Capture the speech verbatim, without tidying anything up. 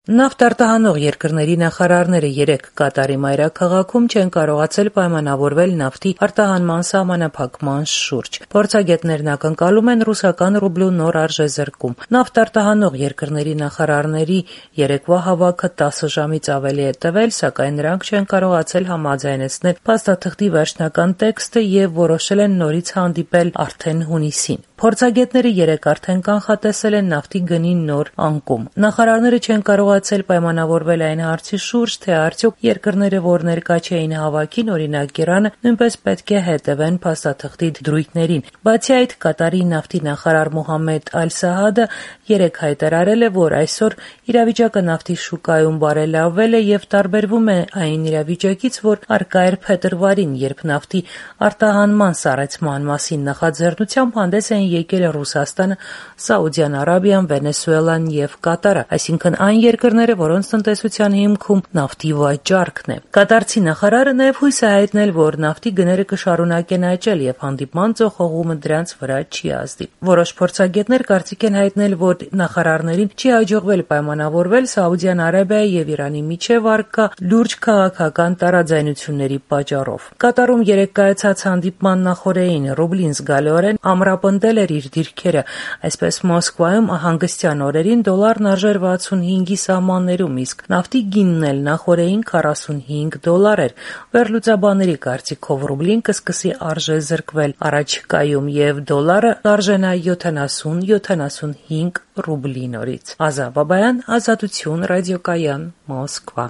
Նավթ արտահանող երկրների նախարարները երեկ Կատարի մայրաքաղաքում չեն կարողացել պայմանավորվել նավթի արտահանման սահմանափակման շուրջ։ Փորձագետներն ակնկալում են ռուսական ռուբլու նոր արժեզրկում։ Նավթ արտահանող երկրների նախարարների երեկվա հավաքը տասը ժամից ավելի է տևել, սակայն նրանք չեն կարողացել համաձայնեցնել փաստաթղթի վերջնական տեքստը եւ որոշել են նորից հանդիպել արդեն հունիսին։ Փորձագետները երեկ արդեն կանխատեսել են նավթի գնի նոր անկում։ Նախարարները չեն կարողացել պայմանավորվել այն հարցի շուրջ, թե արդյոք երկրները, որ ներկա չէին հավաքին, օրինակ Իրանը, նույնպես պետք է հետևեն փաստաթղթի դրույթներին։ Բացի այդ, Կատարի նավթի նախարար Մոհամմեդ Ալ-Սահադը երեկ հայտարարել է, որ այսօր իրավիճակը նավթի շուկայում բարելավվել է եւ տարբերվում է այն իրավիճակից, որ առկա էր փետրվարին, երբ նավթի արտահանման սառեցման մասին նախաձեռնությամբ հանդես էին եկել Ռուսաստանը, Սաուդյան Արաբիան, Վենեսուելան եւ Կատարը, այսինքն այն երկրները, որոնց տնտեսության հիմքում նավթի վաճառքն է։ Կատարցի նախարարը նաեւ հույս է հայտնել, որ նավթի գները կշարունակեն աճել եւ հանդիպման ծոխողումը դրանց վրա չի ազդի։ Որոշ փորձագետներ կարծիք են հայտնել, որ նախարարներին չի հաջողվել պայմանավորվել Սաուդյան Արաբիայի եւ Իրանի միջեւ առկա լուրջ քաղաքական տարաձայնությունների պատճառով։ Կատարում երեկ կայացած հանդիպման նախօրեին ռուբլին զգալիորեն ամրապնդել էր իր դիրքերը, այսպես Մոսկվայում հանգստյան օրերին դոլարն արժեր վաթսունհինգի սահմաններում, իսկ նավթի գինն էլ նախօրեին քառասունհինգ դոլար էր։ Վերլուծաբանների կարծիքով ռուբլին կսկսի արժեզրկվել առաջիկայում եւ դոլարը կարժենա յոթանասուն յոթանասունհինգ ռուբլի նորից։ Ազա Բաբայան, Ազատություն, ռադիոկայան, Մոսկվա։